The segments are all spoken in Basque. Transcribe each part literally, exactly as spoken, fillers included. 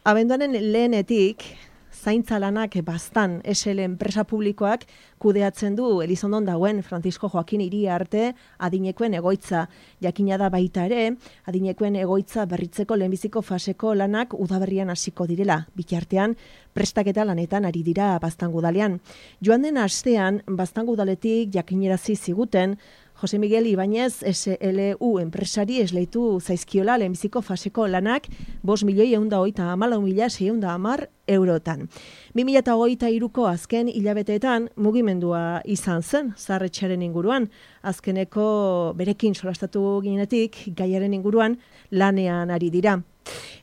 abenduaren lehenetik, zaintza lanak bastan S L enpresa publikoak kudeatzen du Elizondon dagoen Francisco Joaquin Iriarte adinekoen egoitza. Jakina da baita ere, adinekoen egoitza berritzeko lehenbiziko faseko lanak udaberrian hasiko direla. Bitartean, prestaketa lanetan ari dira Baztango udalean. Joan den astean, Baztango udaletik jakinerazi ziguten, Jose Miguel Ibáñez S L U enpresari esleitu zaizkiola lehenbiziko faseko lanak bost milioi ehun eta hogeita hamalau mila seiehun eta hamar eurotan. bi mila hogeita hiruko azken hilabeteetan mugimendua izan zen zaharretxearen inguruan. Azkeneko berekin solastatu ginetik gaiaren inguruan lanean ari dira.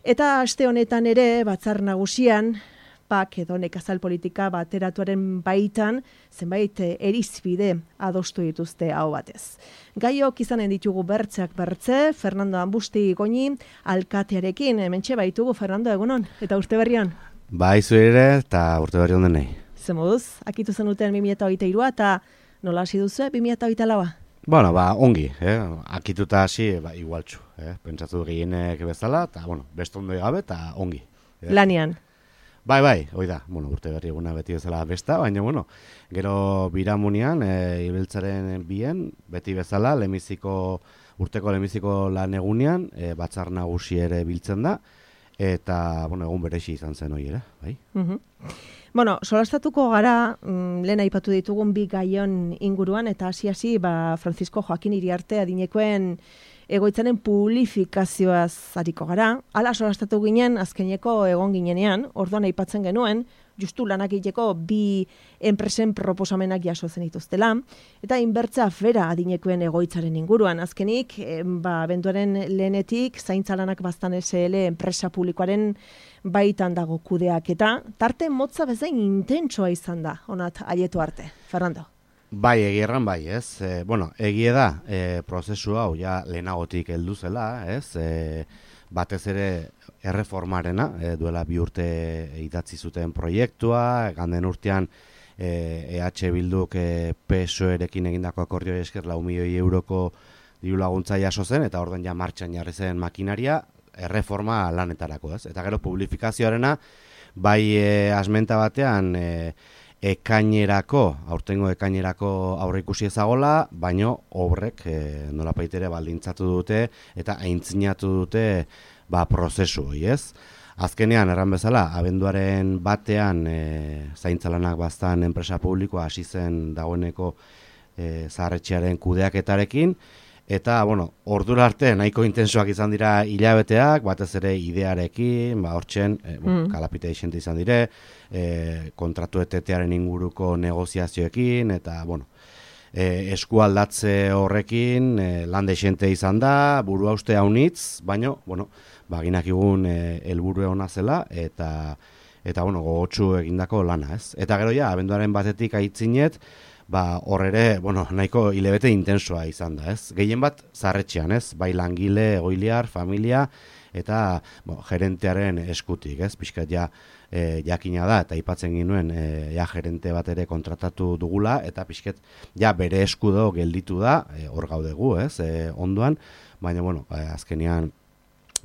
Eta aste honetan ere batzar nagusian Pak edo nekazal politika bateratuaren baitan zenbait erizbide adostu dituzte hau batez. Gaiok izanen ditugu bertzeak bertze, Fernando Ambusti Goñi alkatearekin, hementxe baitugu Fernando egunon, eta urte berrian? Bai, zu ere, eta urte berrian denei. Zemoduz, akitu zenuten bi mila hogeita hirua eta nola hasi duzu bi mila hogeita laua? Bueno, ba, ongi, eh? Akituta hasi, ba, igualtxu, eh? Pentsatu gehienek bezala, eta, bueno, beste ondo gabe, eta ongi. Eh? Lanian. Bai, bai, hoi da, bueno, urte berri eguna beti bezala besta, baina, bueno, gero biramunian, e, ibiltzaren bien, beti bezala, lemiziko, urteko lemiziko lan egunean, e, batzar nagusi ere biltzen da, eta, bueno, egun berexi izan zen hori ere, bai. Uh-huh. Bueno, solastatuko gara, mm, lehen aipatu ditugun bi gaion inguruan, eta hasi-hasi, ba, Francisco Joaquin Iriarte adinekoen egoitzaren publifikazioaz ariko gara. Hala solastatu ginen, azkeneko egon ginenean, orduan aipatzen genuen, justu lanak egiteko bi enpresen proposamenak jaso zen dituztela, eta inbertza afera adinekoen egoitzaren inguruan. Azkenik, ba, benduaren lehenetik, zaintza lanak Baztan S L enpresa publikoaren baitan dago kudeak, eta tarte motza bezain intentsoa izan da, onat aietu arte. Fernando. Bai, egierran bai, ez? E, bueno, egie da, e, prozesu hau ja lehenagotik heldu zela, ez? E, batez ere erreformarena, e, duela bi urte idatzi zuten proiektua, ganden urtean e, EH Bilduk e, P S O E-rekin egindako akordioi esker lau milioi euroko diru laguntza jaso zen, eta orduan ja martxan jarri zen makinaria, erreforma lanetarako, ez? Eta gero publifikazioarena, bai e, asmenta batean, e, ekainerako, aurtengo ekainerako aurre ikusi ezagola, baino obrek e, nola paitere baldintzatu dute eta aintzinatu dute ba, prozesu hori, ez? Azkenean, erran bezala, abenduaren batean e, zaintzalanak Baztan enpresa publikoa hasi zen dagoeneko e, zaharretxearen kudeaketarekin, eta, bueno, ordura arte nahiko intensoak izan dira hilabeteak, batez ere idearekin, ba, hortzen, e, bueno, mm. kalapite isente izan dire, e, kontratu etetearen inguruko negoziazioekin, eta, bueno, e, eskualdatze horrekin, e, lande isente izan da, buru hauste haunitz, baino, bueno, baginak igun helburu ona zela, eta, eta, bueno, gogotsu egindako lana, ez? Eta gero ja, abenduaren batetik aitzinet, ba, hor ere, bueno, nahiko hilebete intensoa izan da, ez? Gehien bat, zaharretxean, ez? Bai langile, egoiliar, familia, eta bo, gerentearen eskutik, ez? Pixkat ja, e, jakina da, eta aipatzen ginuen, e, ja, gerente bat ere kontratatu dugula, eta pixkat, ja, bere eskudo gelditu da, e, hor gaudegu, ez? E, ondoan, baina, bueno, e, azkenean,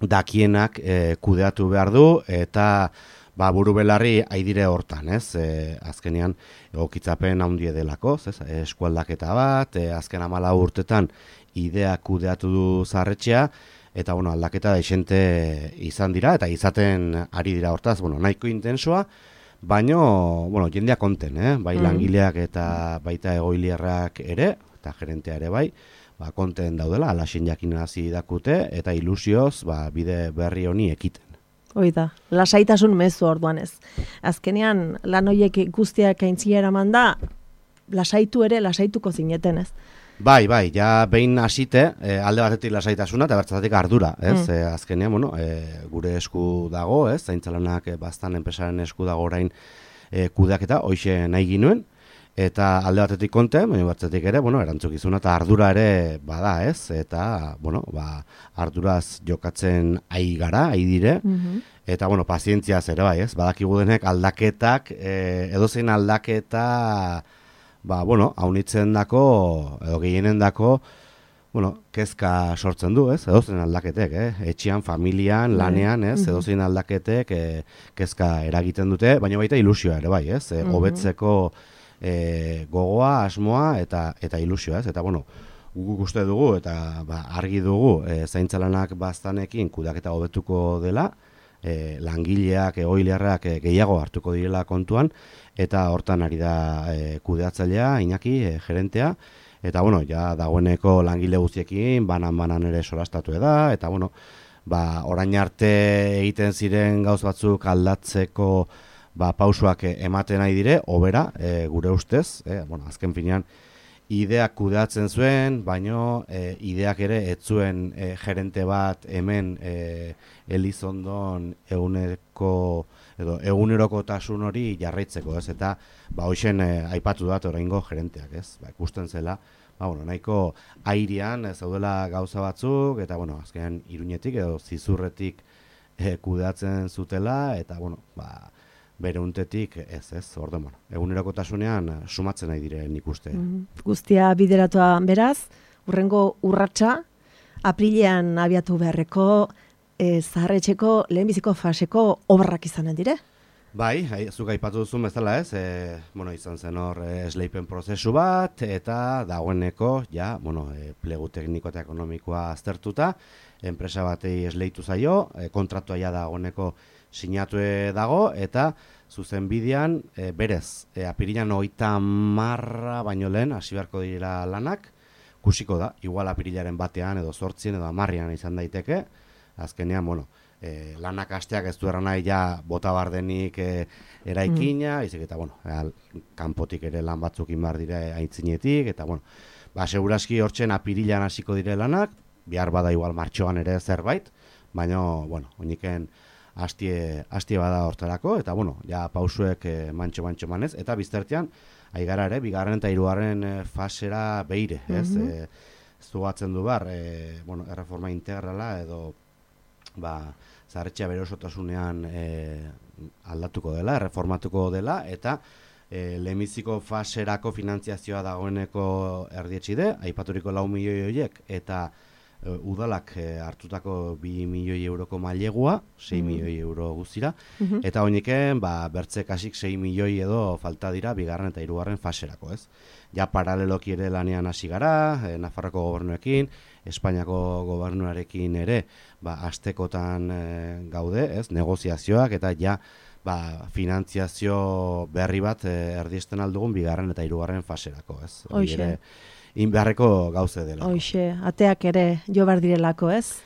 dakienak e, kudeatu behar du, eta ba, buru belarri haidire hortan, ez? E, azkenean, egokitzapen handie delako, ez? Eskualdaketa bat, e, azken hamala urtetan idea kudeatu du zaharretxea, eta, bueno, aldaketa desente izan dira, eta izaten ari dira hortaz, bueno, nahiko intensoa, baino, bueno, jendea konten, eh? Bai langileak eta baita egoiliarrak ere, eta gerentea ere bai, ba, konten daudela, alaxen jakinarazi dakute, eta ilusioz, ba, bide berri honi ekiten. Hoi da, lasaitasun mezu orduan ez. Azkenean, lan horiek guztiak aintzia eraman da, lasaitu ere, lasaituko zineten ez. Bai, bai, ja behin hasite, e, alde batetik lasaitasuna eta bertzatik ardura, ez? Mm. E, azkenean, bueno, e, gure esku dago, ez? Zaintzalanak e, Baztan enpresaren esku dago orain e, kudeaketa, hoixe nahi ginuen, eta alde batetik konte, baina batzetik ere, bueno, erantzukizuna eta ardura ere bada, ez? Eta, bueno, ba, arduraz jokatzen ai gara, ai dire, mm-hmm. Eta, bueno, pazientziaz ere bai, ez? Badakigu denek aldaketak, e, edozein aldaketa, ba, bueno, haunitzen dako, edo gehienen dako, bueno, kezka sortzen du, ez? Edozein aldaketek, eh? Etxean, familian, lanean, ez? Edozein aldaketek eh, kezka eragiten dute, baina baita ilusioa ere bai, ez? Eh, hobetzeko eh, gogoa, asmoa eta eta ilusioa, ez? Eta bueno, guk uste dugu eta ba, argi dugu eh, zaintzalanak baztanekin kudeaketa hobetuko dela, eh, langileak, egoiliarrak eh, gehiago hartuko direla kontuan, eta hortan ari da eh, kudeatzailea, Iñaki, eh, gerentea, eta, bueno, ja dagoeneko langile guztiekin, banan-banan ere solastatu da, eta, bueno, ba, orain arte egiten ziren gauz batzuk aldatzeko ba, pausuak ematen nahi dire, hobera, e, gure ustez, e, bueno, azken finean, ideak kudeatzen zuen, baino e, ideak ere ez zuen e, gerente bat hemen e, Elizondon eguneko edo egunerokotasun hori jarraitzeko, ez? Eta ba hoixen e, aipatu dat oraingo gerenteak, ez? Ba, ikusten zela, ba bueno, nahiko airean ez daudela gauza batzuk eta bueno, azkenean Iruñetik edo Zizurretik e, kudeatzen zutela eta bueno, ba bere untetik ez, ez, orden, bueno, egunerokotasunean sumatzen nahi dire nik uste. Mm, guztia bideratua beraz, urrengo urratsa, aprilean abiatu beharreko e, zaharretxeko lehenbiziko faseko obrak izanen dire? Bai, zuk aipatu duzun bezala ez, e, bueno, izan zen hor e, esleipen prozesu bat, eta dagoeneko, ja, bueno, e, plegu tekniko eta ekonomikoa aztertuta, enpresa batei esleitu zaio, e, kontratua ja dagoeneko sinatu dago, eta zuzen bidean, e, berez, e, apirilan hogeita marra baino lehen, hasi beharko dira lanak, kusiko da, igual apirilaren batean, edo zortzien, edo amarrian izan daiteke, azkenean, bueno, e, lanak hasteak ez du erran nahi ja bota bardenik e, eraikina, mm. izik eta, bueno, e, kanpotik ere lan batzuk inbar dire aintzinetik, eta, bueno, ba, seguraski hortzen apirilan hasiko dire lanak, bihar bada igual martxoan ere zerbait, baina, bueno, oiniken hastie, hastie bada hortarako, eta, bueno, ja pausuek e, mantxo-mantxo manez, eta biztertean, aigara ere, bigarren eta hirugarren e, fasera beire, ez? Mm-hmm. e, zugatzen du bar, e, bueno, erreforma integrala edo ba, zaharretxea bere osotasunean e, aldatuko dela, erreformatuko dela, eta e, lehenbiziko faserako finantziazioa dagoeneko erdietxide, aipaturiko lau milioi horiek, eta e, udalak e, hartutako bi milioi euroko mailegua, sei mm. milioi euro guztira, mm-hmm. eta oiniken, ba, bertze kasik sei milioi edo falta dira bigarren eta hirugarren faserako, ez? Ja paraleloki ere lanean hasi gara, e, Nafarroko gobernuekin, Espainiako gobernuarekin ere, ba, astekotan e, gaude, ez, negoziazioak, eta ja, ba, finantziazio berri bat e, erdiesten aldugun bigarren eta hirugarren faserako, ez? Hoxe. Ere, inbeharreko gauze dela. Hoxe, ateak ere jo behar direlako, ez?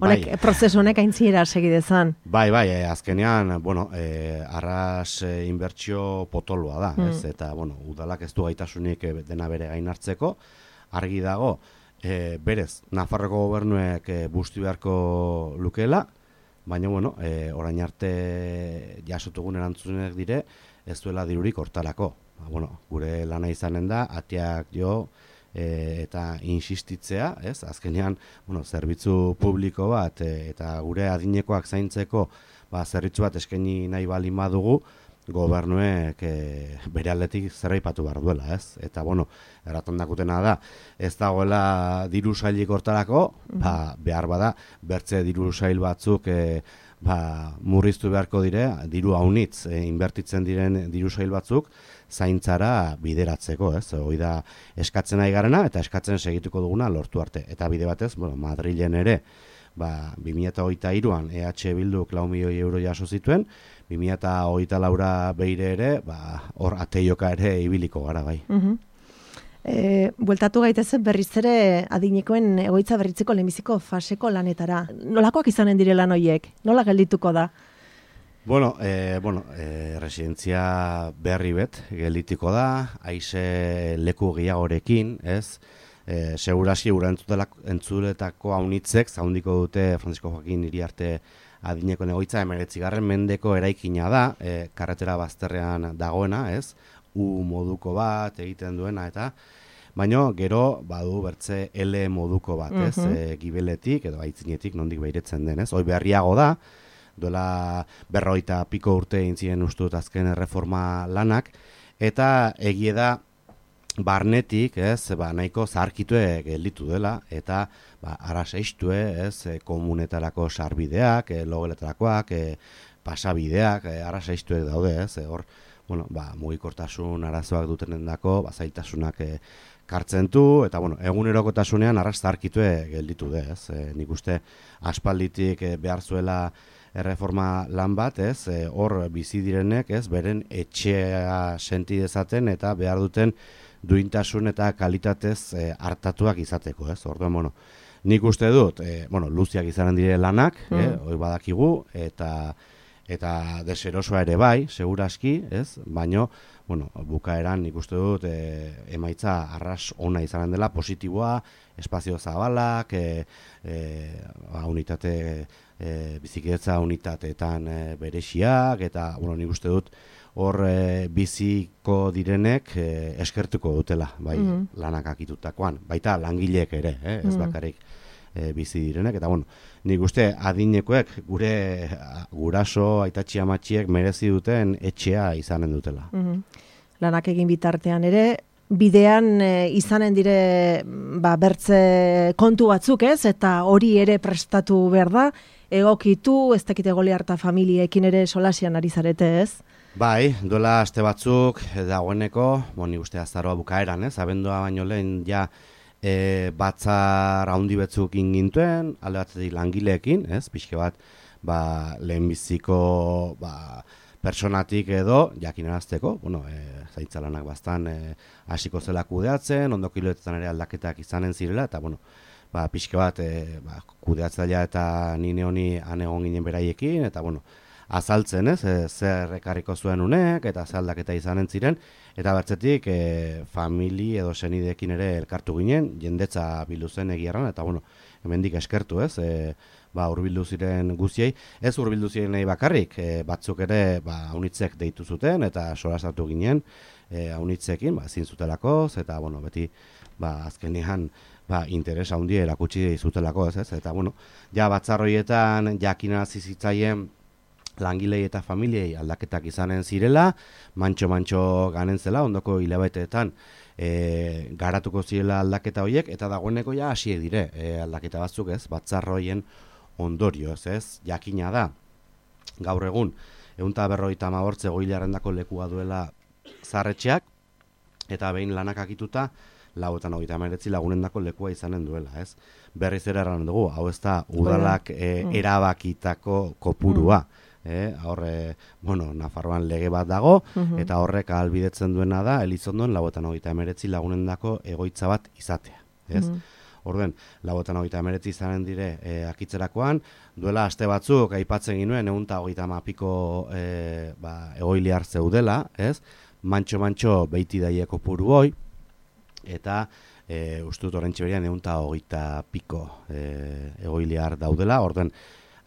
Honek, bai. Prozesu honek aintzinera segidezan. Bai, bai, eh, azkenean, bueno, eh, arras eh, inbertsio potoloa da, mm. ez? Eta, bueno, udalak ez du gaitasunik eh, dena bere gain hartzeko, argi dago, E, berez, Nafarroko gobernuek e, busti beharko lukeela, baina, bueno, e, orain arte jasotugun erantzunek dire, ez duela dirurik hortarako. Ba, bueno, gure lana izanen da, ateak jo e, eta insistitzea, ez? Azkenean, bueno, zerbitzu publiko bat e, eta gure adinekoak zaintzeko ba, zerbitzu bat eskaini nahi baldin badugu, gobernuek e, bere aldetik zerraipatu behar duela, ez? Eta, bueno, erraton dakutena da, ez dagoela diru sailik hortarako, mm-hmm. ba, behar bada, bertze diru sail batzuk e, ba, murriztu beharko dire, diru haunitz e, inbertitzen diren diru sail batzuk, zaintzara bideratzeko, ez? Hoi da eskatzen nahi garena, eta eskatzen segituko duguna lortu arte. Eta bide batez, bueno, Madrilen ere, ba, bi mila hogeita hiruan E H Bilduk lau milioi euro jaso zituen, bi mila hogeita laura beire ere, ba, hor ateioka ere ibiliko gara bai. Uh-huh. E, bueltatu gaitezen berriz ere adinekoen egoitza berritzeko lehenbiziko faseko lanetara. Nolakoak izanen dire lan horiek? Nola geldituko da? Bueno, e, bueno e, residentzia berri bet geldituko da, haize leku gehiagorekin, ez? E, seguraski gura entzuletako haunitzek, zaundiko dute Francisco Joaquin Iriarte adineko egoitza emeretzigarren mendeko eraikina da, e, karretera bazterrean dagoena, ez? U moduko bat egiten duena, eta baino gero badu bertze L moduko bat, ez? Uh-huh. E, gibeletik edo aitzinetik nondik behiretzen den, ez? Hoi berriago da, duela berroita piko urte intzien ustut azken erreforma lanak, eta egie da barnetik, ez, ba, nahiko zaharkitue gelditu dela, eta ba, araseistue, ez, e, komunetarako sarbideak, e, logeletarakoak, e, pasabideak, e, araseistuek daude, ez, e, hor, bueno, ba, mugikortasun arazoak dutenendako, ba, zailtasunak e, kartzen du, eta, bueno, egunerokotasunean arras zaharkitue gelditu de, ez, e, nik uste aspalditik e, behar zuela erreforma lan bat, ez, e, hor bizi direnek, ez, beren etxea senti dezaten eta behar duten duintasun eta kalitatez e, hartatuak izateko, ez? Orduan, bueno, nik uste dut, e, bueno, luziak izanen dire lanak, mm. eh, hori badakigu, eta eta deserosoa ere bai, seguraski, ez? Baino, bueno, bukaeran nik uste dut e, emaitza arras ona izanen dela, positiboa, espazio zabalak, e, e, ba, unitate, e, bizikidetza unitateetan e, berexiak, eta, bueno, nik uste dut, hor e, biziko direnek e, eskertuko dutela, bai, mm-hmm. lanak akitutakoan. Baita langileek ere, eh, ez mm-hmm. bakarrik e, bizi direnek. Eta, bueno, nik uste adinekoek gure guraso, aitatxi amatxiek merezi duten etxea izanen dutela. Mm-hmm. Lanak egin bitartean ere, bidean e, izanen dire ba, bertze kontu batzuk, ez? Eta hori ere prestatu behar da, egokitu, ez dakite gole harta familiekin ere solasian ari zarete, ez? Bai, duela aste batzuk dagoeneko, boni uste azaroa bukaeran, ez? Abendua baino lehen ja e, batzar handi batzuk ingintuen, alde batzetik langileekin, ez? Pixke bat, ba, lehenbiziko ba, personatik edo jakinarazteko, bueno, e, zaintza lanak bastan e, hasiko zela kudeatzen, ondo kiloetetan ere aldaketak izanen zirela, eta, bueno, ba, pixke bat e, ba, kudeatzailea eta nine honi anegon ginen beraiekin, eta, bueno, azaltzen, ez, e, zer ekarriko zuen unek, eta zer aldaketa izanen ziren, eta bertzetik e, famili edo senideekin ere elkartu ginen, jendetza bildu zen egiarran, eta bueno, hemendik eskertu, ez, e, ba, urbildu ziren guziei, ez urbildu ziren nahi bakarrik, e, batzuk ere, ba, aunitzek deitu zuten, eta solasatu ginen, e, aunitzekin, ba, ezin zutelakoz, eta, bueno, beti, ba, azkenean, ba, interes handia erakutsi zutelako, ez, ez, eta, bueno, ja, batzarroietan jakinarazi zitzaien, langilei eta familiei aldaketak izanen zirela, mantxo-mantxo ganen zela, ondoko hilabeteetan e, garatuko zirela aldaketa horiek, eta dagoeneko ja hasiek dire e, aldaketa batzuk, ez, batzarroien ondorioz, ez, jakina da, gaur egun, ehun eta berrogeita hamabost egoiliarrendako lekua duela zaharretxeak, eta behin lanak akituta, lau eta hogeita hemeretzi lagunendako lekua izanen duela, ez. Berriz ere erran dugu, hau ez da udalak e, erabakitako kopurua, mm. Eh, horre, bueno, Nafarroan lege bat dago, uh-huh. eta horrek ahalbidetzen duena da, Elizondon, lau eta hogeita hemeretzi lagunendako egoitza bat izatea, ez? Uh-huh. Orden, lau eta hogeita hemeretzi izanen dire e, akitzerakoan, duela aste batzuk aipatzen ginuen, ehun eta hogeita hamapiko e, ba, egoiliar zeudela, ez? Mantxo-mantxo beiti daieko puru hoi, eta e, ustut horrentxe berian ehun eta hogeita piko e, egoiliar daudela, orden,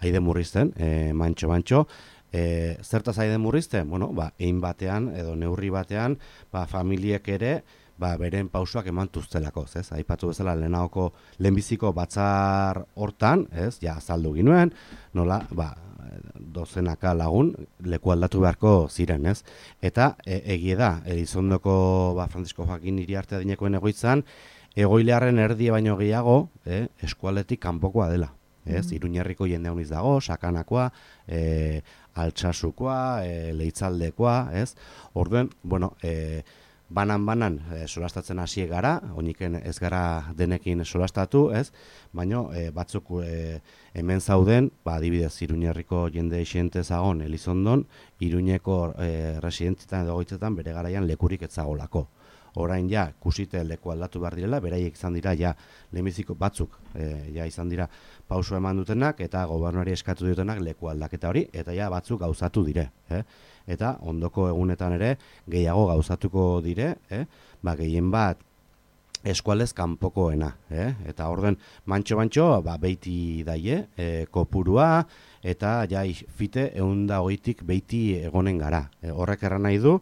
aide murrizten, e, mantxo-mantxo, e, zertaz aide murrizten? Bueno, ba, egin batean, edo neurri batean, ba, familiek ere, ba, beren pausuak emantuztelako, ez? Aipatu bezala lehenagoko lehenbiziko batzar hortan, ez? Ja, azaldu ginuen, nola, ba, dozenaka lagun leku aldatu beharko ziren, ez? Eta e, egie da, Elizondoko ba, Francisco Joaquin Iriarte adinekoen egoitzan, egoilearen erdie baino gehiago, eh, eskualetik kanpokoa dela. Ez, mm-hmm. Iruñerriko jende honiz dago, Sakanakoa, e, Altsasukoa, e, Leitzaldekoa, ez? Orduen, bueno, e, banan-banan e, solastatzen hasiek gara, oiniken ez gara denekin solastatu, ez? Baina e, batzuk e, hemen zauden, ba, adibidez, Iruñerriko jende xente zagon Elizondon, Iruñeko e, residentzitan edo goitzetan bere garaian lekurik ez zagolako. Orain ja, kusite leku aldatu behar direla, beraiek izan dira, ja, lehenbiziko batzuk, e, ja, izan dira pauso eman dutenak, eta gobernuari eskatu dutenak leku aldaketa hori, eta ja, batzuk gauzatu dire. Eh? Eta ondoko egunetan ere, gehiago gauzatuko dire, eh? Ba, gehien bat, eskualez kanpokoena. Eh? Eta orden, mantxo-mantxo, ba, beiti daie, e, kopurua, eta ja, fite, ehun eta hogeitik beiti egonen gara. E, horrek erran nahi du,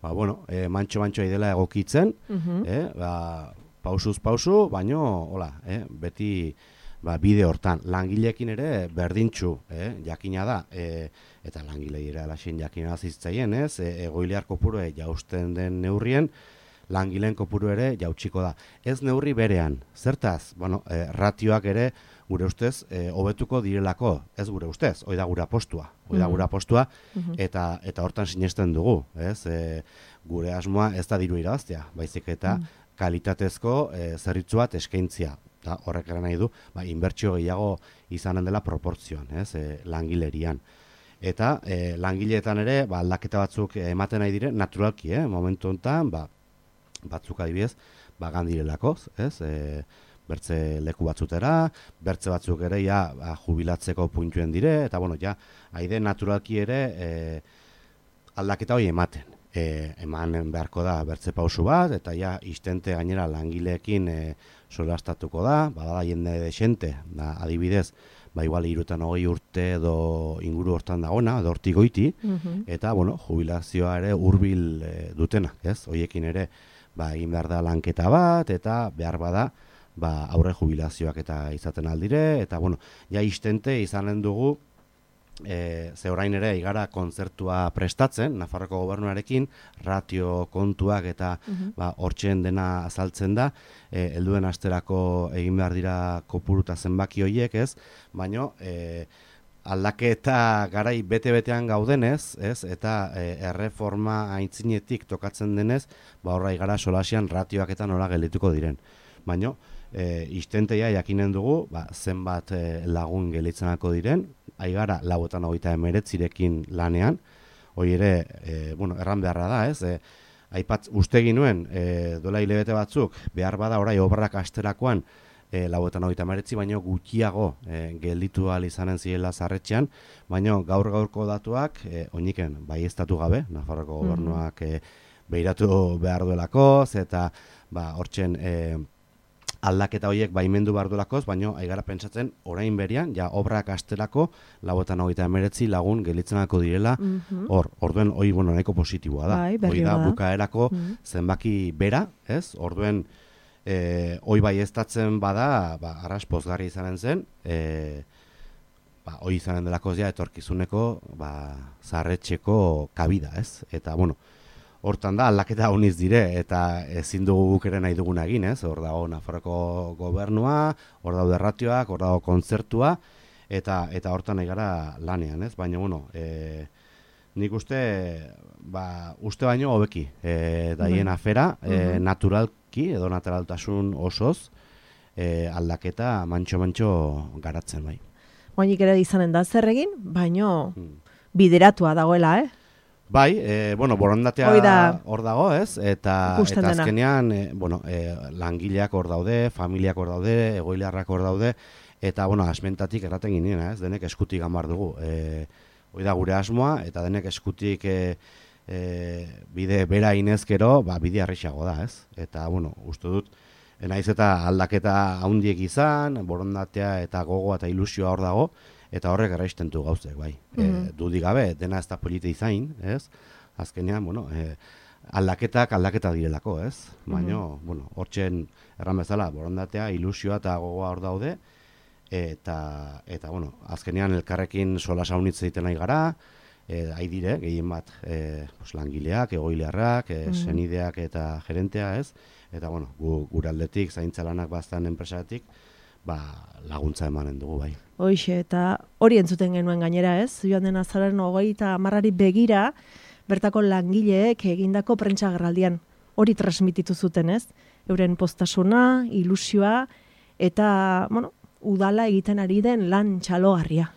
ba, bueno, e, mantxo-mantxo dela egokitzen, uh-huh. eh, ba, pausuz pausu, baino, hola, eh, beti ba, bide hortan. Langileekin ere berdintxu, eh, jakina da, e, eta langilei ere alaxen jakina zitzaien, ez, e, egoiliar kopuru e, jausten den neurrien, langileen kopuru ere jautsiko da. Ez neurri berean, zertaz, bueno, e, ratioak ere gure ustez e, hobetuko direlako, ez gure ustez, hoi da gura postua, hoi da Mhm. gura postua, Mhm. eta eta hortan sinesten dugu, ez? E, gure asmoa ez da diru irabaztea, baizik eta Mm. kalitatezko e, zerbitzu bat eskaintzia. Eta horrek eran nahi du, ba, inbertsio gehiago izanen dela proportzioan, ez? E, langilerian. Eta e, langileetan ere, ba, aldaketa batzuk ematen nahi dire, naturalki, eh? Momentu honetan, ba, batzuk adibidez, ba, gandirelako, ez? E, bertze leku batzutera, bertze batzuk ere ja ba, jubilatzeko puntuen dire, eta bueno, ja, haide naturalki ere e, aldaketa hori ematen. E, eman beharko da bertze pausu bat, eta ja istente gainera langileekin e, solastatuko da, badala jende desente, da, adibidez, ba igual irutan hogei urte edo inguru hortan dagona, edo hortik goiti, Mhm. eta bueno, jubilazioa ere hurbil e, dutenak, ez? Hoiekin ere ba egin behar da lanketa bat, eta behar bada ba aurre jubilazioak eta izaten aldire, eta bueno, ja istente izanen dugu E, ze orain ere igara kontzertua prestatzen, Nafarroko gobernuarekin, ratio kontuak eta Mhm. ba, hortzen dena azaltzen da, e, helduen asterako egin behar dira kopuruta zenbaki horiek, ez? Baina e, aldaketa garai bete-betean gaudenez, ez? Eta e, erreforma aintzinetik tokatzen denez, ba horra igara solasian ratioak eta nola geldituko diren. Baina e, istenteia jakinen dugu, ba, zenbat e, lagun gelitzenako diren, aigara lauetan hogeita emeretzirekin lanean, hori ere, e, bueno, erran beharra da, ez? E, aipat, uste ginuen, e, dola hilabete batzuk, behar bada orai obrak asterakoan, e, lauetan hogeita emeretzi, baino gutxiago e, gelditu ahal izanen zirela zarretxean, baino gaur gaurko datuak, e, oiniken, bai estatu gabe, Nafarroko gobernuak e, behiratu behar duelakoz, eta ba, hortzen, e, aldaketa horiek baimendu behar duelakoz, baina aigara pentsatzen orain berian, ja obrak astelako lauetan hogeita emeretzi lagun gelitzenako direla, Mhm. hor, orduen hori bueno, nahiko positiboa da. Bai, berri Hoi da bada. bukaerako Mhm. zenbaki bera, ez? Orduen e, hoi bai estatzen bada, ba, arras pozgarri izanen zen, e, ba, hoi izanen delakoz ja etorkizuneko ba, zarretxeko kabida, ez? Eta, bueno, hortan da, aldaketa honiz dire, eta ezin dugu guk ere nahi duguna egin, ez? Hor dago Nafarroko gobernua, hor daude ratioak, hor dago kontzertua, eta eta hortan nahi gara lanean, ez? Baina, bueno, e, nik uste, ba, uste baino hobeki, e, daien afera, e, naturalki, edo naturaltasun osoz, e, aldaketa mantxo-mantxo garatzen, bai. Oainik ere izanen da zer egin, baino Hmm. bideratua dagoela, eh? Bai, e, bueno, borondatea Hoi da. hor dago, ez? Eta, Ikusten eta dena. azkenean, e, bueno, e, langileak hor daude, familiak hor daude, egoiliarrak hor daude, eta, bueno, asmentatik erraten ginen, ez? Denek eskutik gamar dugu. E, hoi da gure asmoa, eta denek eskutik e, e, bide bera inezkero, ba, bide arrixago da, ez? Eta, bueno, uste dut, naiz eta aldaketa handiek izan, borondatea eta gogoa eta ilusioa hor dago, eta horrek erraistentu gauzek, bai. Mhm. E, dudik gabe, dena ez da polite izain, ez? Azkenean, bueno, e, aldaketak aldaketa direlako, ez? Baina, bueno, hortzen erran bezala, borondatea, ilusioa eta gogoa hor daude, eta, eta bueno, azkenean elkarrekin sola saunitz egiten nahi gara, e, hai dire, gehien bat, e, pues, langileak, egoiliarrak, e, senideak eta gerentea, ez? Eta, bueno, gu, gure aldetik, zaintza lanak baztan enpresatik, ba, laguntza emanen dugu, bai. Hoixe, eta hori entzuten genuen gainera, ez? Joan den azaren hogeita hamarrari begira, bertako langileek egindako prentsa agerraldian hori transmititu zuten, ez? Euren postasuna, ilusioa, eta, bueno, udala egiten ari den lan txalogarria.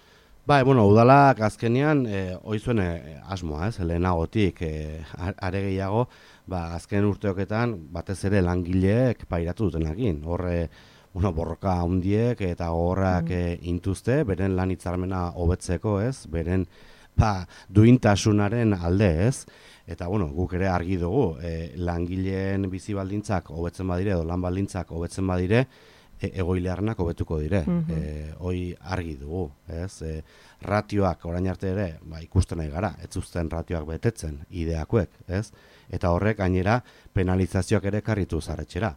Bai, bueno, udalak azkenean, e, oizuen e, asmoa, ez? Lehenagotik, e, are gehiago, ba, azken urteoketan, batez ere langileek pairatu dutenakin. Horre, bueno, borroka handiek eta gogorrak mm. e, intuzte, beren lan hitzarmena hobetzeko, ez? Beren, ba, duintasunaren alde, ez? Eta, bueno, guk ere argi dugu, e, langileen bizi baldintzak hobetzen badire, edo lan baldintzak hobetzen badire, e, egoilearnak hobetuko dire. Mhm. E, hoi argi dugu, ez? E, ratioak orain arte ere, ba, ikusten nahi gara, ez zuzten ratioak betetzen, ideakuek, ez? Eta horrek gainera penalizazioak ere karritu zarretxera.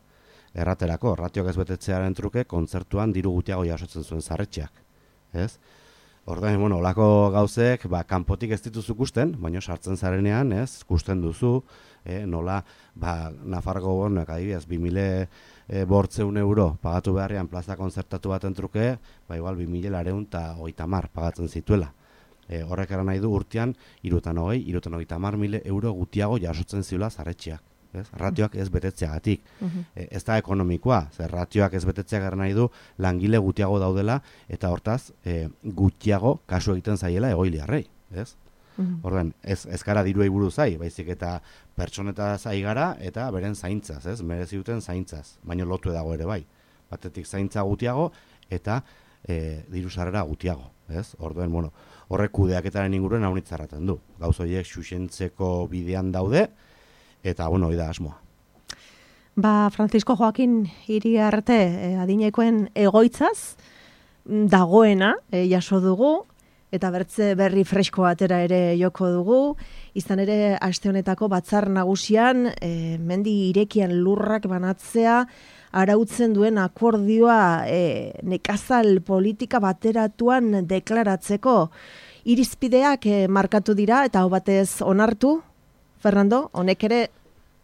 Erraterako, ratioak ez betetzearen truke, kontzertuan diru gutiago jasotzen zuen zarretxeak, ez? Ordain, bueno, olako gauzek, ba, kanpotik ez dituzu kusten, baina sartzen zarenean, ez, kusten duzu, eh, nola, ba, Nafarroko gobernuak adibidez, bi mila bortzeun euro pagatu beharrean plaza konzertatu baten truke, ba, igual, bi mila lareun eta hogeita hamar pagatzen zituela. E, horrek eran nahi du urtean, irutan hogei, irutan hogeita hamar mila euro gutiago jasotzen ziula zarretxeak. Ez? Ratioak ez betetzeagatik. Uh-huh. E, ez da ekonomikoa, zer ratioak ez betetzeak eran nahi du langile gutiago daudela, eta hortaz, e, gutiago kasu egiten zaiela egoiliarrei. Ez? Uh-huh. Orduan, ez, ez gara diruei buruz zai, baizik eta pertsoneta zai gara, eta beren zaintzaz, ez? Merezi duten zaintzaz, baina lotu dago ere bai. Batetik zaintza gutiago, eta e, diru sarrera gutiago, ez? Orduan, bueno, horrek kudeaketaren inguruen haunitzarraten du. Gauz horiek xuxentzeko bidean daude, eta, bueno, hori da asmoa. Ba, Francisco Joaquin Iriarte eh, adinekoen egoitzaz dagoena eh, jaso dugu, eta bertze berri fresko atera ere joko dugu, izan ere aste honetako batzar nagusian e, mendi irekian lurrak banatzea arautzen duen akordioa e, nekazal politika bateratuan deklaratzeko irizpideak e, markatu dira eta hau batez onartu, Fernando, honek ere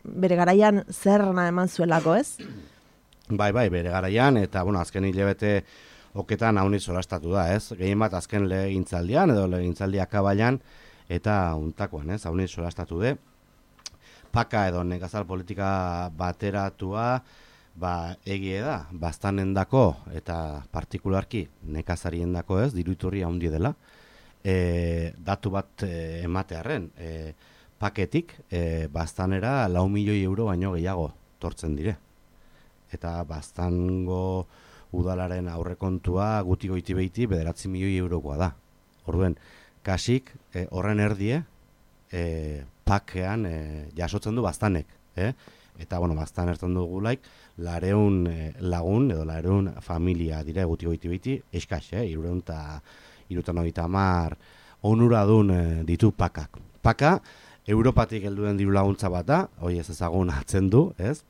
bere garaian zerna eman zuelako, ez? Bai, bai, bere garaian, eta bueno, azken hilabete oketan haunit solastatu da, ez? Gehien bat azken legintzaldian edo legintzaldi akabailan eta untakoan, ez? Haunit solastatu de. Paka edo nekazal politika bateratua, ba, egie da, baztanendako eta partikularki nekazariendako, ez? Diruiturri haundi dela. E, datu bat e, ematearren, e, paketik e, baztanera lau milioi euro baino gehiago tortzen dire. Eta baztango udalaren aurrekontua guti goiti behiti bederatzi milioi eurokoa da. Orduen, kasik e, horren erdie e, pakean e, jasotzen du baztanek. Eh? Eta, bueno, baztan ertzen dugulaik, lareun e, lagun edo lareun familia dire guti goiti behiti, eskaz, eh? irureun eta irutan hogeita hamar onuradun e, ditu pakak. Paka, Europatik helduen diru laguntza bat da, hoi ez ezagun atzen du, ez?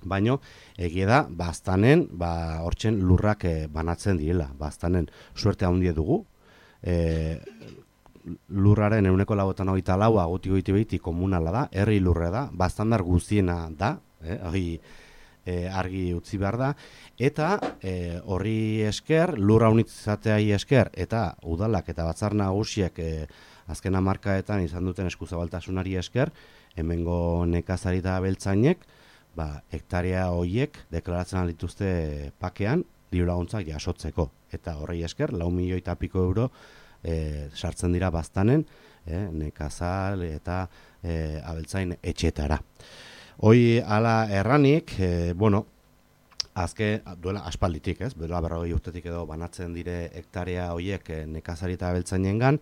Baino, egia da, baztanen, ba, hortzen lurrak e, banatzen direla, baztanen suerte handie dugu, e, lurraren ehuneko laurogeita hogeita laua guti goiti behiti komunala da, herri lurre da, baztandar guztiena da, eh, hori e, argi utzi behar da, eta e, horri esker, lurra unitzateai esker, eta udalak eta batzar nagusiek e, azken hamarkadetan izan duten eskuzabaltasunari esker, hemengo nekazari eta beltzainek, ba, hektarea horiek deklaratzen dituzte pakean diru laguntzak jasotzeko. Eta horrei esker, lau milioi eta piko euro e, sartzen dira baztanen, e, nekazal eta e, abeltzain etxetara. Hoi ala erranik, e, bueno, azke duela aspalditik, ez? Duela berrogei urtetik edo banatzen dire hektarea horiek e, nekazari eta abeltzainengan,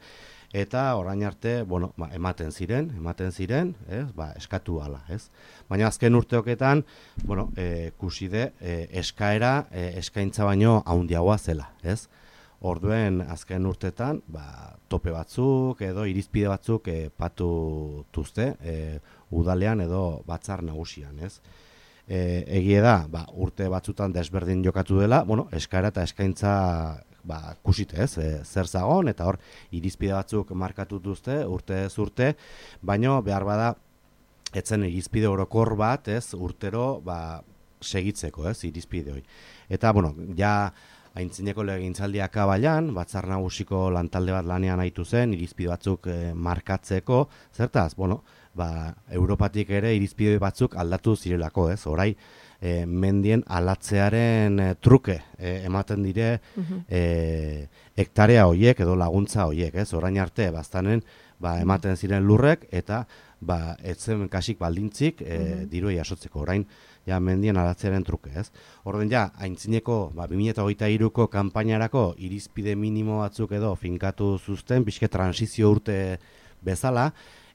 eta orain arte, bueno, ba, ematen ziren, ematen ziren, ez? Ba, eskatu hala, ez? Baina azken urteoketan, bueno, e, kuside, e, eskaera, e, eskaintza baino haundiagoa zela, ez? Orduen azken urtetan, ba, tope batzuk edo irizpide batzuk e, patu tuzte, e, udalean edo batzar nagusian, ez? E, egie da, ba, urte batzutan desberdin jokatu dela, bueno, eskaera eta eskaintza ba, kusite ez, e, zer zagon, eta hor, irizpide batzuk markatu duzte, urte ez urte, baino behar bada, etzen irizpide orokor bat, ez, urtero, ba, segitzeko, ez, irizpide hori. Eta, bueno, ja, aintzineko legintzaldi akabailan, batzar nagusiko lantalde bat lanean haitu zen, irizpide batzuk e, markatzeko, zertaz, bueno, ba, Europatik ere irizpide batzuk aldatu zirelako, ez, orai, E, mendien alatzearen e, truke e, ematen dire uh-huh. e, hektarea hoiek edo laguntza hoiek, ez? Orain arte baztanen ba, ematen ziren lurrek eta ba, etzen kasik baldintzik e, uh-huh. diru jasotzeko. Orain ja mendien alatzearen truke, ez? Orden ja, aintzineko ba, bi mila hogeita hiruko kanpainarako irizpide minimo batzuk edo finkatu zuzten, pixke transizio urte bezala,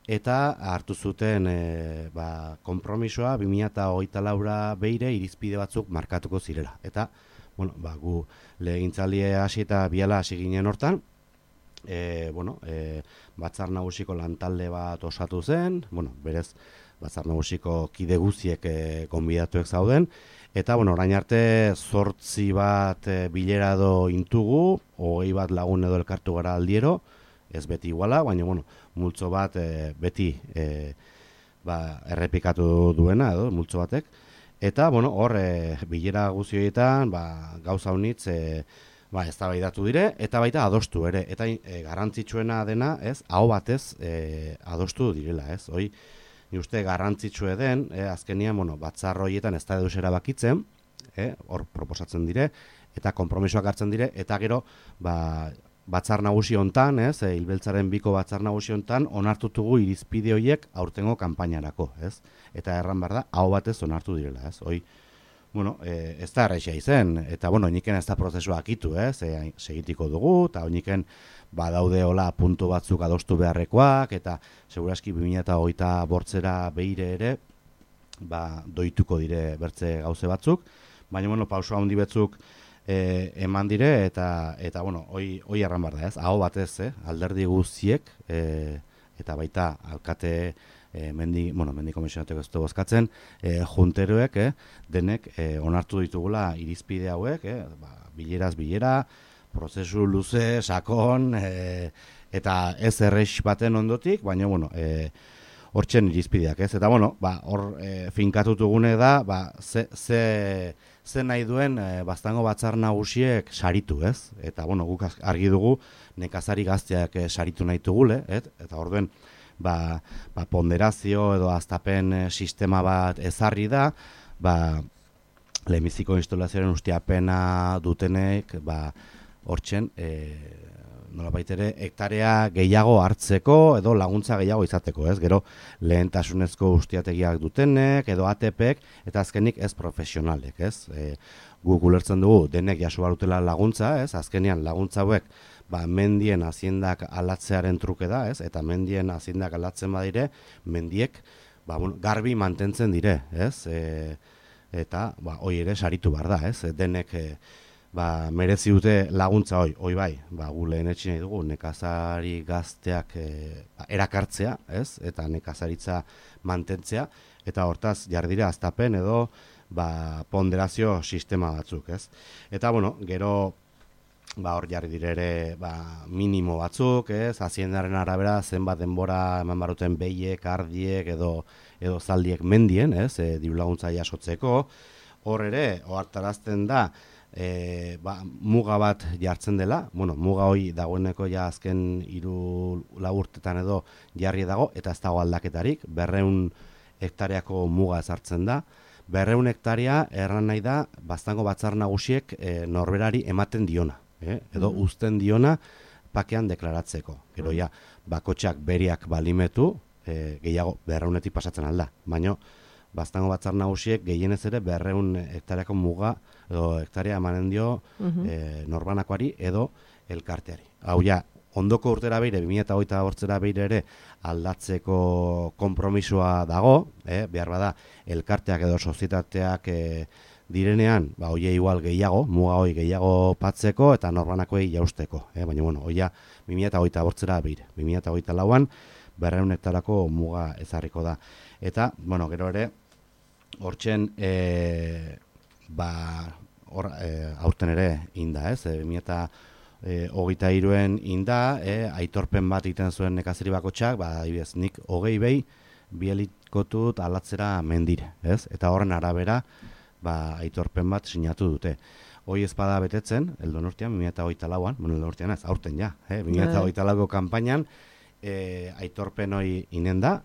eta hartu zuten e, ba, konpromisoa bi mila hogeita laura beire irizpide batzuk markatuko zirela. Eta, bueno, ba, gu legintzaldi hasi eta biala hasi ginen hortan, e, bueno, e, batzar nagusiko lantalde bat osatu zen, bueno, berez, batzar nagusiko kide guziek e, gonbidatuek zauden, eta, bueno, orain arte zortzi bat e, bilera edo intugu, hogei bat lagun edo elkartu gara aldiero, ez beti iguala, baina, bueno, multzo bat e, beti e, ba, errepikatu duena, edo, multzo batek, eta, bueno, hor, e, bilera guzioetan, ba, gauza honitz, e, ba, eztabaidatu dire, eta baita adostu ere, eta e, garrantzitsuena dena, ez, aho batez e, adostu direla, ez, hoi, ni uste garrantzitsue den, e, azkenian, bueno, batzar horietan ez da eduz erabakitzen, e, hor proposatzen dire, eta konpromisoak hartzen dire, eta gero, ba, batzar nagusi hontan, ez, e, Hilbeltzaren biko batzar nagusi hontan, onartutugu irizpide horiek aurtengo kanpainarako, ez, eta erran behar da, aho batez onartu direla, ez, hoi, bueno, e, ez da errexea izen, eta, bueno, oiniken ez da prozesua akitu, ez, e, segitiko dugu, eta oiniken badaude hola puntu batzuk adostu beharrekoak, eta seguraski bi mila hogeita bortzera behire ere, ba, doituko dire bertze gauze batzuk, baina, bueno, pauso handi batzuk e, eman dire, eta, eta bueno, hoi, hoi erran behar da, ez, aho batez, eh, alderdi guztiek, e, eta baita alkate, E, mendi, bueno, mendi komisionateko ez du bozkatzen, e, junteroek, eh, denek e, onartu ditugula irizpide hauek, eh, ba, bileraz bilera, prozesu luze, sakon, e, eta ez errex baten ondotik, baina, bueno, e, hortzen irizpideak, ez? Eta, bueno, ba, hor e, finkatutugune da, ba, ze, ze, ze nahi duen e, Baztango batzar nagusiek saritu, ez? Eta, bueno, guk argi dugu nekazari gazteak e, saritu nahi tugule, et? Eta orduen, Ba, ba, ponderazio edo aztapen e, sistema bat ezarri da, ba, lehenbiziko instalazioaren ustiapena dutenek, ba, hortzen, e, nola baitere, hektarea gehiago hartzeko edo laguntza gehiago izateko, ez? Gero lehentasunezko ustiategiak dutenek edo A T Pek eta azkenik ez profesionalek, ez? E, guk ulertzen dugu denek jaso barutela laguntza, ez? Azkenean laguntza hauek ba, mendien haziendak alatzearen truke da, ez? Eta mendien haziendak alatzen badire, mendiek ba, bueno, garbi mantentzen dire, ez? E, eta ba, hoi ere saritu behar da, ez? Denek e, ba, merezi dute laguntza hoi, hoi bai, ba, gu lehen etxin nahi dugu, nekazari gazteak e, ba, erakartzea, ez? Eta nekazaritza mantentzea, eta hortaz jardira aztapen edo ba, ponderazio sistema batzuk, ez? Eta, bueno, gero ba, hor jarri dire ere ba, minimo batzuk, ez? Haziendaren arabera zenbat denbora eman baruten behiek, ardiek edo, edo zaldiek mendien, ez? E, diru laguntza jasotzeko. Hor ere, ohartarazten da, e, ba, muga bat jartzen dela, bueno, muga hoi dagoeneko ja azken hiru lau urtetan edo jarri dago, eta ez dago aldaketarik, berreun hektareako muga ezartzen da. Berreun hektaria erran nahi da, Baztango batzar nagusiek e, norberari ematen diona. Eh? Edo mm-hmm. uzten diona pakean deklaratzeko. Gero ja, bakotxak beriak balimetu, e, gehiago berreunetik pasatzen alda. Baina, Baztango batzar nagusiek gehienez ere berreun hektareako muga, edo hektaria emanen dio mm-hmm. e, norbanakoari edo elkarteari. Hau ja, ondoko urtera beire, bi mila hogeita bortzera beire ere aldatzeko konpromisoa dago, eh? Behar bada, elkarteak edo sozietateak e, direnean, ba, oie igual gehiago, muga hoi gehiago patzeko eta norbanakoei jausteko. Eh? Baina, bueno, oia bi mila hogeita bortzera beire. bi mila hogeita lauan, berreun hektarako muga ezarriko da. Eta, bueno, gero ere, hortzen, e, ba, hor, e, aurten ere inda, ez? E, bi mila hogeita hiruen inda, e, aitorpen bat egiten zuen nekazari bakotxak, ba, ibez, nik hogei behi, bielikotut alatzera mendire, ez? Eta horren arabera, ba, aitorpen bat sinatu dute. Hoi ezpada betetzen, eldon urtean, bi mila hogeita lauan, bueno, eldon urtean ez, aurten ja, eh? bi mila hogeita lauko kanpainan, e, aitorpen hoi inen da,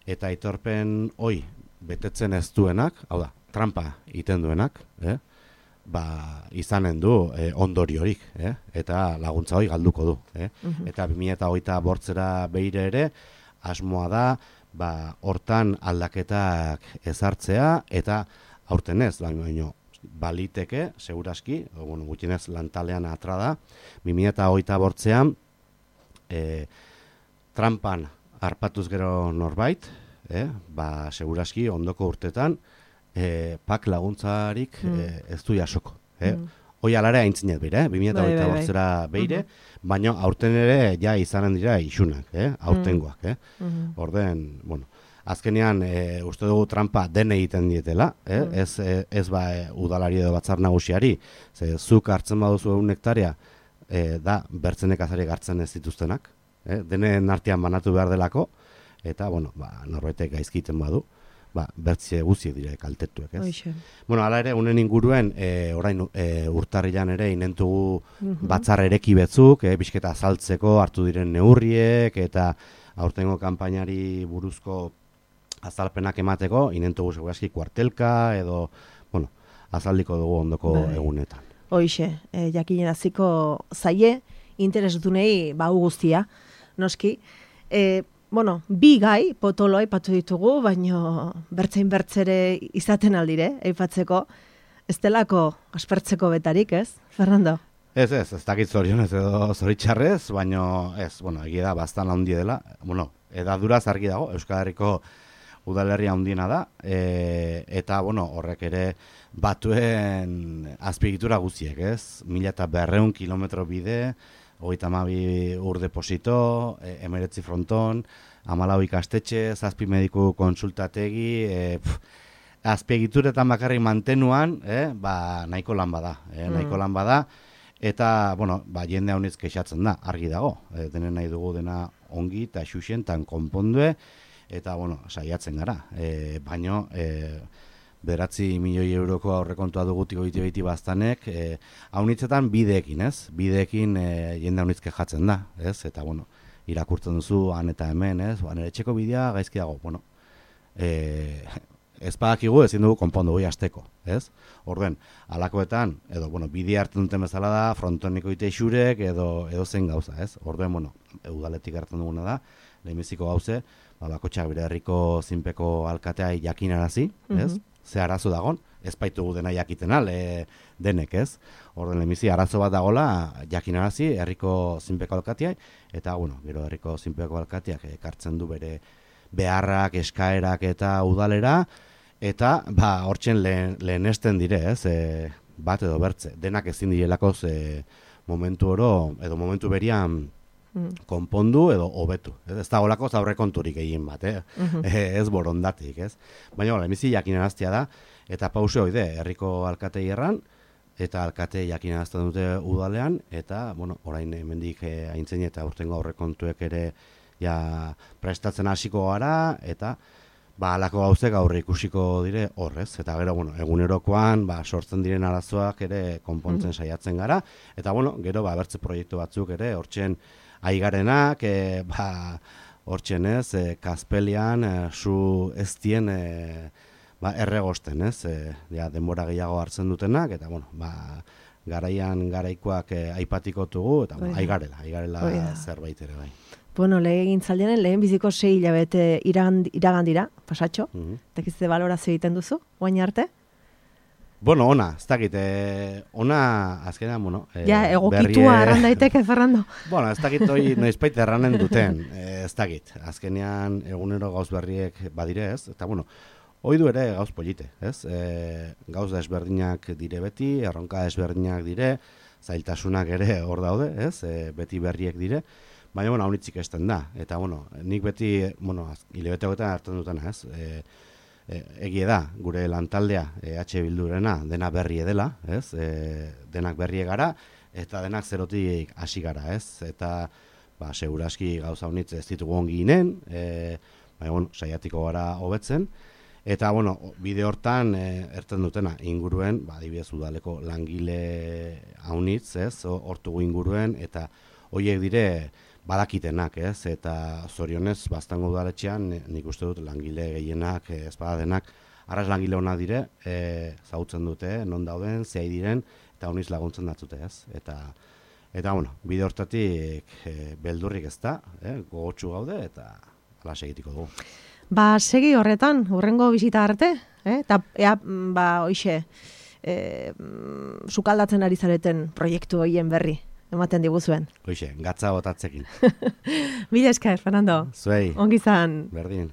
eta aitorpen hoi betetzen ez duenak, hau da, trampa egiten duenak, eh? ba, izanen du e, ondoriorik, eh? Eta laguntza hoi galduko du. Eh? Uh-huh. Eta bi mila hogeita bortzera beire ere, asmoa da, ba, hortan aldaketak ezartzea, eta aurten ez, baina baliteke, seguraski, bueno, gutxienez lantalean atra da, bi mila hogeita bortzean, e, trampan harpatuz gero norbait, eh? ba, seguraski ondoko urtetan, e, pak laguntzarik mm. e, ez du jasoko. Eh? Mm. hoi alare haintzinet beire, eh? bi mila hogeita bortzera beire, baina aurten ere ja izanen dira isunak, eh? aurtengoak. Eh? Mhm. Orden, bueno, azkenean e, uste dugu trampa den egiten dietela, eh? Mm. ez, e, ez ba e, udalari edo batzar nagusiari, ze zuk hartzen baduzu egun hektaria, e, da bertzenek azariak hartzen ez dituztenak, eh? denen artean banatu behar delako, eta, bueno, ba, norbaitek gaizkiten badu, ba, bertze guztiek dire kaltetuek, ez? Hoxe. Bueno, hala ere, unen inguruen, e, orain e, urtarrilan ere inentugu Mhm. batzar ereki betzuk, e, bizketa azaltzeko hartu diren neurriek, eta aurtengo kanpainari buruzko azalpenak emateko, inentugu segurazki kuartelka, edo, bueno, azaldiko dugu ondoko Bai. egunetan. Hoxe, e, jakineraziko zaie, interesdunei bau guztia, noski. E, bueno, bi gai potolo aipatu ditugu, baino bertzein bertzere izaten aldire, aipatzeko, ez delako aspertzeko betarik, ez, Fernando? Ez, ez, ez dakit zorionez edo zoritxarrez, baino ez, bueno, egia da, bastan handi dela, bueno, edaduraz argi dago, Euskal Herriko udalerria handiena da, e, eta, bueno, horrek ere batuen azpiegitura guztiek, ez? Mila eta berreun kilometro bide, hogeita hamabi ur deposito, e, emeretzi fronton, hamalau ikastetxe, zazpi mediku konsultategi, e, pf, azpiegituretan bakarrik mantenuan, eh, ba, nahiko lan bada, eh, nahiko lan bada, eta, bueno, ba, jende haunitz kexatzen da, argi dago, e, denen nahi dugu dena ongi eta xuxen, tan konpondue, eta, bueno, saiatzen gara, e, baino, e, beratzi milioi euroko aurrekontua dugutik oiti behiti baztanek, e, haunitzetan bideekin, ez? Bideekin e, jende haunitz kejatzen da, ez? Eta, bueno, irakurtzen duzu, han eta hemen, ez? Ba, nire etxeko bidea gaizki dago, bueno, e, ez badakigu ezin dugu konpondu goi asteko, ez? Orden, alakoetan, edo, bueno, bidea hartzen duten bezala da, frontoniko ite xurek, edo, edo zen gauza, ez? Orden, bueno, udaletik hartzen duguna da, lehenbiziko gauze, ba, bakotxak bere herriko zinpeko alkatea jakinarazi, ez? Mhm. Ze arazo dagon, ez baitugu dena jakitena, le, denek, ez? Orden, lehenbizi, arazo bat dagola jakinarazi herriko zinpeko alkateai, eta, bueno, gero herriko zinpeko alkateak ekartzen du bere beharrak, eskaerak eta udalera, eta, ba, hortzen lehen, lehenesten dire, ez? E, bat edo bertze, denak ezin direlako ze momentu oro, edo momentu berian konpondu edo hobetu. Ez, ez da holako aurrekonturik egin bat, eh? Mhm. ez borondatik, ez? Baina, lehenbizi jakinaraztea da, eta pause hoide, herriko alkatei erran, eta alkate jakinarazten dute udalean, eta, bueno, orain hemendik eh, aintzen eta urtengo aurrekontuek ere ja prestatzen hasiko gara, eta ba, alako gauzek aurre ikusiko dire horrez, eta gero, bueno, egunerokoan, ba, sortzen diren arazoak ere konpontzen saiatzen gara, eta, bueno, gero, ba, bertze proiektu batzuk ere, hortzen aigarenak, e, ba, hortzen ez, e, Kaspelian, e, zu ez dien, e, ba, erregosten, ez, e, ja, denbora gehiago hartzen dutenak, eta, bueno, ba, garaian garaikoak e, aipatikotugu, eta, bueno, aigarela, aigarela Oida. zerbait ere, bai. Bueno, lehen zaldianen, lehen biziko sei hilabete iragan, iragan dira, pasatxo, Mhm. eta kizte balorazio egiten duzu, guain arte? Bueno, ona, ez dakit, eh, ona, azkenean, bueno... Eh, Ja, egokitua berrie- arran daiteke, Fernando. Bueno, ez dakit hori noizbait erranen duten, eh, ez dakit. Azkenean egunero gauz berriek badire ez, eta bueno, hoi du ere gauz polite, ez? E, gauz desberdinak dire beti, erronka desberdinak dire, zailtasunak ere hor daude, ez? E, beti berriek dire, baina, bueno, haunitzik esten da. Eta, bueno, nik beti, bueno, hilabete hogetan hartzen dutena, ez? E, e, egie da, gure lantaldea, e, H Bildurena, dena berrie dela, ez? E, denak berrie gara, eta denak zerotik hasi gara, ez? Eta, ba, seguraski gauza honitz ez ditugu ongi ginen, e, baina, bueno, saiatiko gara hobetzen, eta, bueno, bide hortan e, erten dutena, inguruen, ba, adibidez udaleko langile haunitz, ez? Hortugu inguruen, eta horiek dire badakitenak, ez? Eta zorionez, baztango udaletxean, nik uste dut langile gehienak, ez badadenak, arras langile hona dire, e, zautzen dute, non dauden, zehai diren, eta honiz laguntzen datzute, ez? Eta, eta bueno, bide hortatik e, beldurrik ez da, eh? Gogotsu gaude, eta hala segitiko dugu. Ba, segi horretan, hurrengo bisita arte, eh? Eta, ea, mm, ba, hoixe, e, mm, sukaldatzen ari zareten proiektu horien berri, ematen diguzuen. Hoixe, gatza botatzekin. Mila esker, Fernando. Zuei, Ongi zan. berdin.